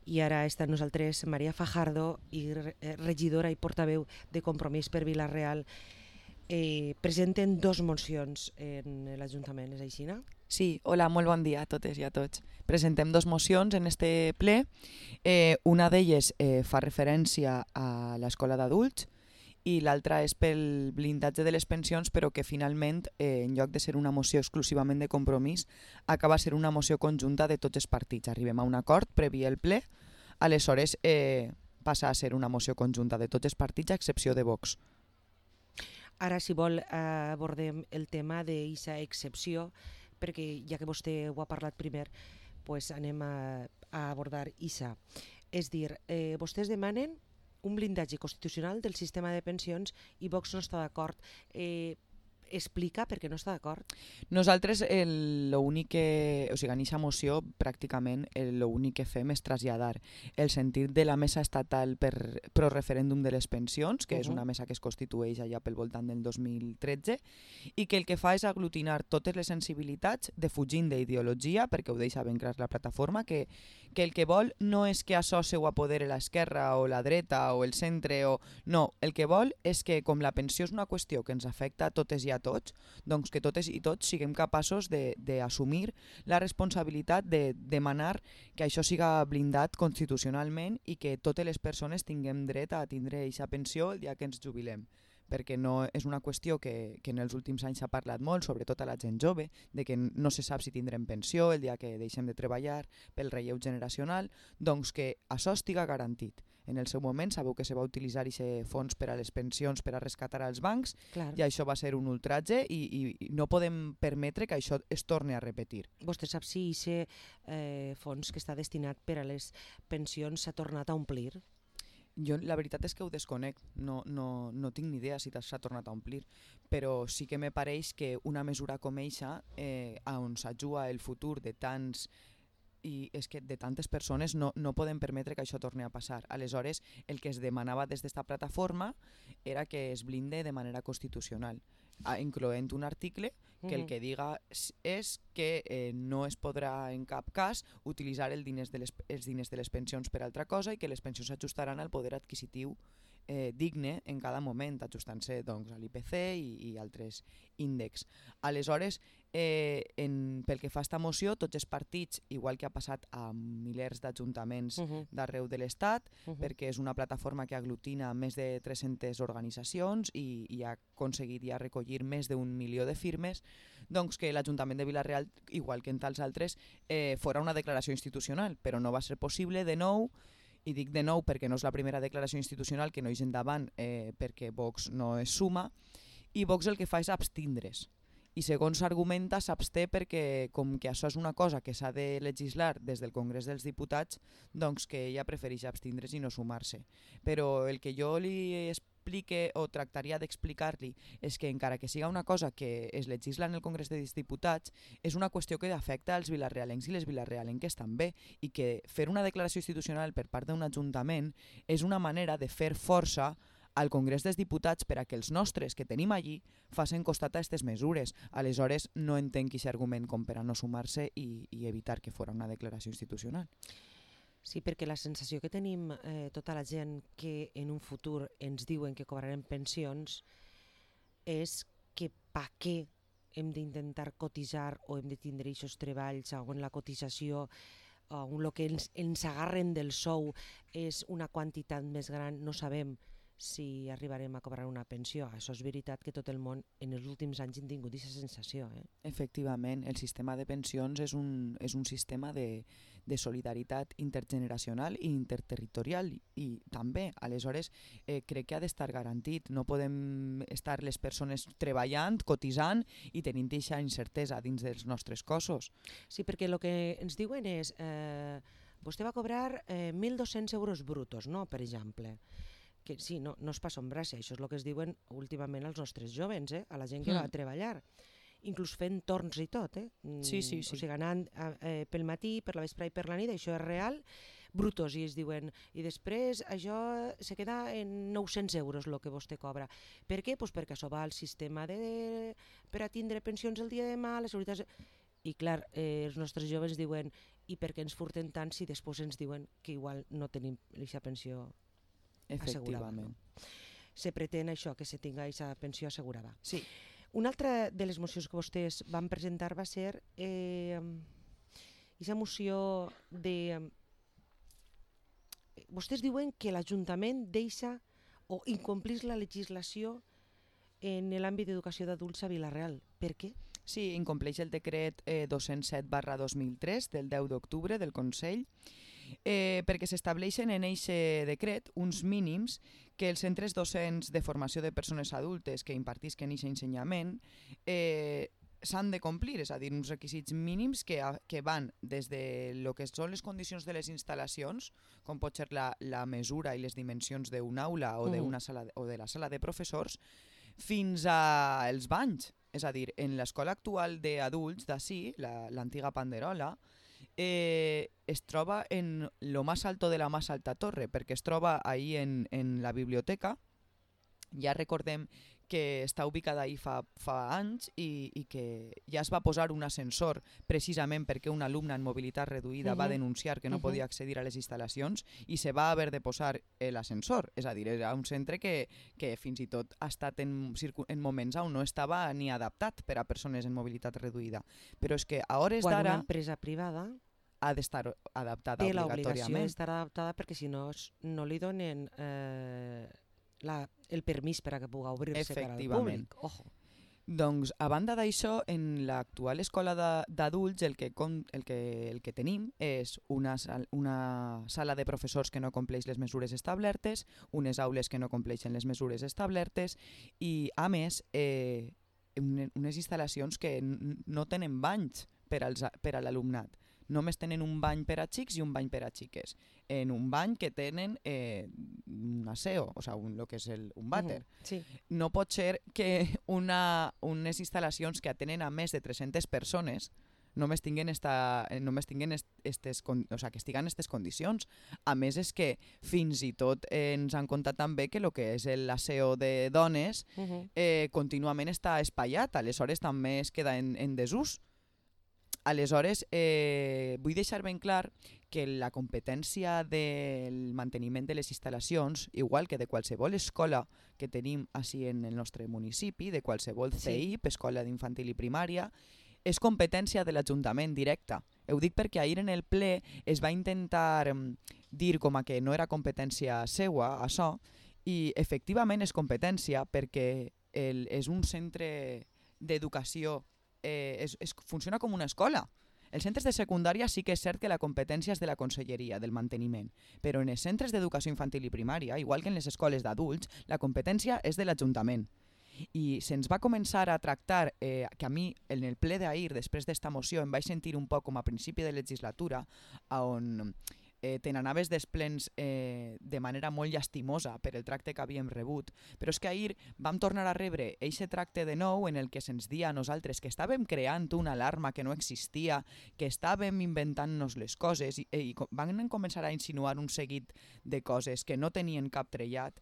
I ara està amb nosaltres Maria Fajardo, regidora i portaveu de Compromís per Vila-real. Presenten dos mocions en l'Ajuntament, és així, no? Sí, hola, molt bon dia a totes i a tots. Presentem dos mocions en este ple. Una d'elles fa referència a l'escola d'adults i l'altra és pel blindatge de les pensions, però que finalment, en lloc de ser una moció exclusivament de Compromís, acaba ser una moció conjunta de tots els partits. Arribem a un acord previ el ple, aleshores passa a ser una moció conjunta de tots els partits a excepció de Vox. Ara, si vol, abordem el tema d'aquesta excepció, perquè ja que vostè ho ha parlat primer, pues anem a abordar això. És dir, vostès demanen un blindatge constitucional del sistema de pensions i Vox no està d'acord. Explica per què no està d'acord. Nosaltres l'únic que, o sigui, en aquesta moció pràcticament l'únic que fem és traslladar el sentit de la mesa estatal pro referèndum de les pensions, que és una mesa que es constitueix allà pel voltant del 2013 i que el que fa és aglutinar totes les sensibilitats defugint d'ideologia, perquè ho deixa ben clar la plataforma, que el que vol no és que això se ho apodere l'esquerra o la dreta o el centre, no, el que vol és que com la pensió és una qüestió que ens afecta a totes i a tots, doncs que totes i tots siguem capaços d'assumir la responsabilitat de demanar que això siga blindat constitucionalment i que totes les persones tinguem dret a tindre aquesta pensió el dia que ens jubilem, perquè no és una qüestió que en els últims anys s'ha parlat molt, sobretot a la gent jove, de que no se sap si tindrem pensió el dia que deixem de treballar pel relleu generacional, doncs que això estiga garantit. En el seu moment sabeu que se va utilitzar aquest fons per a les pensions per a rescatar als bancs. Clar. I això va ser un ultratge i no podem permetre que això es torni a repetir. Vostè sap si aquest fons que està destinat per a les pensions s'ha tornat a omplir? Jo la veritat és que ho desconec, no tinc ni idea si s'ha tornat a omplir, però sí que me pareix que una mesura com eixa, on s'ajuda el futur de tants i és que de tantes persones no podem permetre que això torni a passar. Aleshores, el que es demanava des d'esta plataforma era que es blinde de manera constitucional, incloent un article que el que diga és que no es podrà en cap cas utilitzar els diners de les pensions per altra cosa i que les pensions s'ajustaran al poder adquisitiu digne en cada moment, ajustant-se doncs, a l'IPC i altres índexs. Aleshores, pel que fa a esta moció, tots els partits, igual que ha passat a milers d'ajuntaments d'arreu de l'Estat, perquè és una plataforma que aglutina més de 300 organitzacions i ha aconseguit ja recollir més d'1 milió de firmes, doncs que l'Ajuntament de Vila-real, igual que en tals altres, fora una declaració institucional, però no va ser possible de nou. I dic de nou perquè no és la primera declaració institucional que no és endavant perquè Vox no es suma, i Vox el que fa és abstindre's. I segons argumenta s'absté perquè com que això és una cosa que s'ha de legislar des del Congrés dels Diputats, doncs que ella prefereix abstindre's i no sumar-se. Però el que jo li explique o tractaria d'explicar-li és que encara que siga una cosa que es legisla en el Congrés dels Diputats, és una qüestió que afecta als vilarealencs i les vilarealenques també, i que fer una declaració institucional per part d'un ajuntament és una manera de fer força al Congrés dels Diputats per a que els nostres que tenim allí facin costat a aquestes mesures. Aleshores no entenc aquest argument com per a no sumar-se i evitar que fora una declaració institucional. Sí, perquè la sensació que tenim tota la gent que en un futur ens diuen que cobrarem pensions és que pa què hem d'intentar cotitzar o hem de tindre aquests treballs on la cotització on el que ens agarren del sou és una quantitat més gran, no sabem si arribarem a cobrar una pensió. Això és veritat que tot el món en els últims anys hem tingut aquesta sensació. Efectivament, el sistema de pensions és un sistema de solidaritat intergeneracional i interterritorial i també, aleshores, crec que ha d'estar garantit. No podem estar les persones treballant, cotitzant i tenint aquesta incertesa dins dels nostres cossos. Sí, perquè el que ens diuen és vostè va cobrar 1.200 euros brutos, no? Per exemple. Que sí, no es passa un braç, això és el que es diuen últimament als nostres jovens, a la gent que va a treballar, inclús fent torns i tot. Sí. O sigui, anant pel matí, per la vespre i per la nit, això és real, brutos, i es diuen, i després això se queda en 900 euros el que vostè cobra. Per què? Pues perquè això va al sistema per a tindre pensions el dia de demà, les seguretats... I clar, els nostres joves diuen i per què ens furten tant si després ens diuen que igual no tenim aquesta pensió assegurada. Efectivament. Se pretén això, que se tinga aquesta pensió assegurada. Sí. Una altra de les mocions que vostès van presentar va ser aquesta moció de... Vostès diuen que l'Ajuntament deixa o incomplís la legislació en l'àmbit d'educació d'adults a Vila-real. Per què? Sí, incompleix el decret 207/2003 del 10 d'octubre del Consell, perquè s'estableixen en aquest decret uns mínims que els centres docents de formació de persones adultes que impartisquen aquest ensenyament s'han de complir, és a dir, uns requisits mínims que van des de lo que són les condicions de les instal·lacions, com pot ser la mesura i les dimensions d'una aula o d'una sala o de la sala de professors, fins als banys. És a dir, en l'escola actual d'adults d'ací, l'antiga Panderola, es troba en lo más alto de la más alta torre, perquè es troba ahí en la biblioteca. Ja recordem que està ubicada ahí fa anys i que ja es va posar un ascensor precisament perquè un alumne en mobilitat reduïda va denunciar que no podia accedir a les instal·lacions i se va haver de posar l'ascensor. És a dir, era un centre que fins i tot ha estat en moments on no estava ni adaptat per a persones en mobilitat reduïda. Però és que a hores d'ara... Quan una empresa privada ha d'estar adaptada té obligatòriament. Té l'obligació d'estar adaptada perquè si no li donen el permís per a que pugui obrir-se per al públic. Ojo. Doncs, a banda d'això, en l'actual escola d'adults el que tenim és una sala de professors que no compleix les mesures establertes, unes aules que no compleixen les mesures establertes i, a més, unes instal·lacions que no tenen banys per a l'alumnat. Només tenen un bany per a xics i un bany per a xiques. En un bany que tenen un aseo, o sigui, lo que és un vàter. Sí. No pot ser que unes instal·lacions que atenen a més de 300 persones només tinguin que estiguen en aquestes condicions. A més, és que fins i tot ens han contat també que el que és l'aseo de dones contínuament està espaiat, aleshores també es queda en desús. Aleshores, vull deixar ben clar que la competència del manteniment de les instal·lacions, igual que de qualsevol escola que tenim així en el nostre municipi, de qualsevol CEIP, escola d'infantil i primària, és competència de l'Ajuntament directa. Ho dic perquè ahir en el ple es va intentar dir com a que no era competència seua, això, i efectivament és competència perquè és un centre d'educació, funciona com una escola. Els centres de secundària sí que és cert que la competència és de la conselleria, del manteniment, però en els centres d'educació infantil i primària, igual que en les escoles d'adults, la competència és de l'Ajuntament. I se'ns va començar a tractar, que a mi en el ple d'ahir, després d'esta moció, em vaig sentir un poc com a principi de legislatura, on te n'anaves desplens de manera molt llastimosa per el tracte que havíem rebut, però és que ahir vam tornar a rebre aquest tracte de nou en el que se'ns dia a nosaltres que estàvem creant una alarma que no existia, que estàvem inventant-nos les coses i van començar a insinuar un seguit de coses que no tenien cap trellat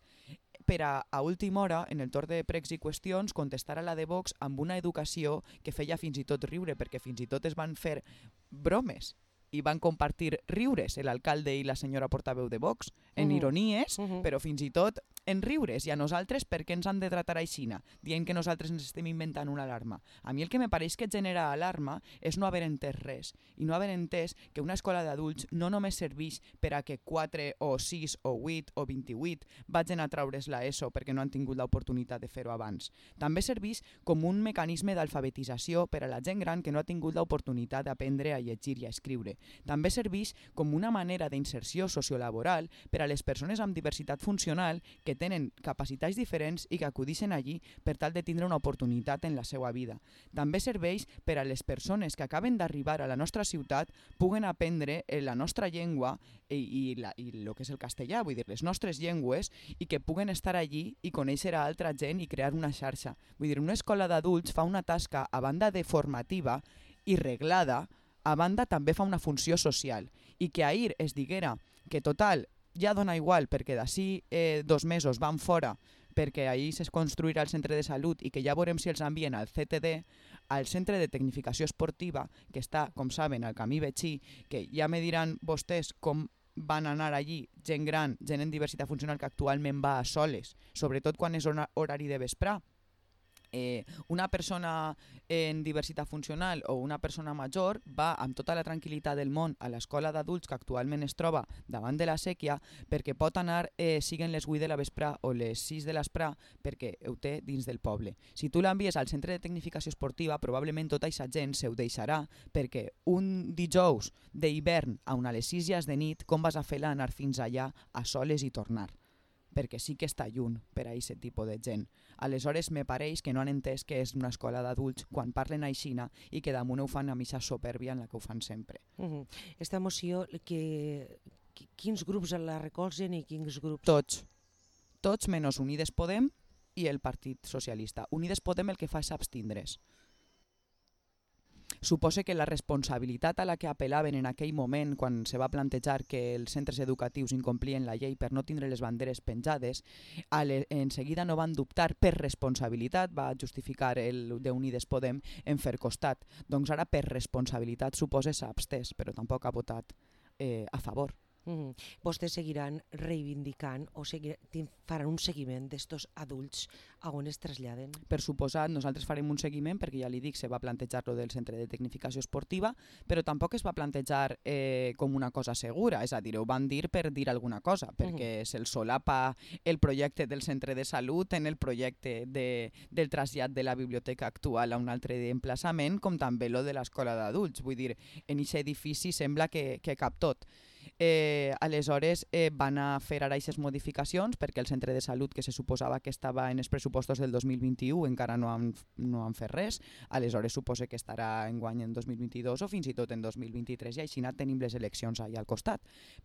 per a última hora, en el torn de pregs i qüestions, contestar a la de Vox amb una educació que feia fins i tot riure, perquè fins i tot es van fer bromes i van compartir riures l'alcalde i la senyora portaveu de Vox, en ironies, però fins i tot en riures. I a nosaltres, per què ens han de tratar aixina? Dient que nosaltres ens estem inventant una alarma. A mi el que me pareix que genera alarma és no haver entès res, i no haver entès que una escola d'adults no només serveix per a que 4 o 6 o 8 o 28 vagin a traure's l'ESO perquè no han tingut l'oportunitat de fer-ho abans. També serveix com un mecanisme d'alfabetització per a la gent gran que no ha tingut l'oportunitat d'aprendre a llegir i a escriure. També serveix com una manera d'inserció sociolaboral per a les persones amb diversitat funcional que tenen capacitats diferents i que acudeixen allí per tal de tindre una oportunitat en la seva vida. També serveix per a les persones que acaben d'arribar a la nostra ciutat puguen aprendre la nostra llengua i el que és el castellà, vull dir, les nostres llengües, i que puguen estar allí i conèixer a altra gent i crear una xarxa. Vull dir, una escola d'adults fa una tasca, a banda de formativa i reglada, a banda també fa una funció social, i que ahir es diguera que total ja dona igual perquè d'ací 2 mesos van fora perquè ahir es construirà el centre de salut i que ja veurem si els envien al CTD, al centre de tecnificació esportiva, que està, com saben, al camí Betxí, que ja me diran vostès com van anar allí gent gran, gent en diversitat funcional que actualment va a soles, sobretot quan és horari de vesprar. Una persona en diversitat funcional o una persona major va amb tota la tranquil·litat del món a l'escola d'adults que actualment es troba davant de la sèquia perquè pot anar, siguen les 8 de la vesprà o les 6 de l'esprà, perquè ho té dins del poble. Si tu l'envies al centre de tecnificació esportiva, probablement tota aquesta gent se ho deixarà, perquè un dijous d'hivern a les 6 ja és de nit, com vas a fer-la anar fins allà a soles i tornar? Perquè sí que està lluny per a aquest tipus de gent. Aleshores, me pareix que no han entès que és una escola d'adults quan parlen aixina i que damunt ho fan amb aquesta supèrbia en la que ho fan sempre. Esta moció, quins grups la recolzen i quins grups? Tots menys Unides Podem i el Partit Socialista. Unides Podem el que fa és abstindre's. Supose que la responsabilitat a la que apel·laven en aquell moment quan se va plantejar que els centres educatius incomplien la llei per no tindre les banderes penjades, en seguida no van dubtar per responsabilitat, va justificar el d'Unides Podem en fer costat. Doncs ara per responsabilitat supose s'ha abstès, però tampoc ha votat a favor. Vostès seguiran reivindicant o faran un seguiment d'estos adults a on es traslladen? Per suposat, nosaltres farem un seguiment perquè ja li dic, se va plantejar lo del centre de tecnificació esportiva, però tampoc es va plantejar com una cosa segura, és a dir, ho van dir per dir alguna cosa, perquè se'l solapa el projecte del centre de salut en el projecte del trasllat de la biblioteca actual a un altre emplaçament, com també lo de l'escola d'adults. Vull dir, en aquest edifici sembla que cap tot. Aleshores van a fer ara aquestes modificacions perquè el centre de salut que se suposava que estava en els pressupostos del 2021 encara no han fet res, aleshores suposa que estarà enguany en 2022 o fins i tot en 2023 i així tenim les eleccions allà al costat.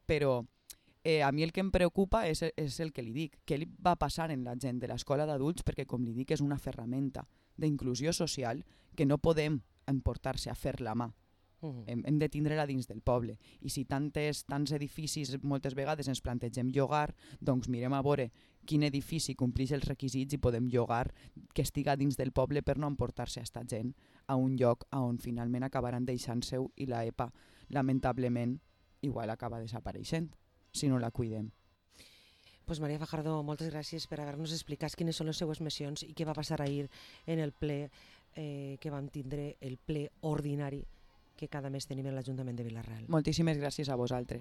Però a mi el que em preocupa és el que li dic, què li va passar en la gent de l'escola d'adults, perquè com li dic és una ferramenta d'inclusió social que no podem emportar-se a fer la mà. Hem de tindre-la dins del poble i si tants edificis moltes vegades ens plantegem llogar, doncs mirem a veure quin edifici compleix els requisits i podem llogar que estiga dins del poble per no emportar-se a esta gent a un lloc on finalment acabaran deixant-se-ho i la EPA lamentablement igual acaba desapareixent si no la cuidem. Pues Maria Fajardo, moltes gràcies per haver-nos explicat quines són les seues missions i què va passar ahir en el ple que vam tindre, el ple ordinari que cada mes tenim en l'Ajuntament de Vila-real. Moltíssimes gràcies a vosaltres.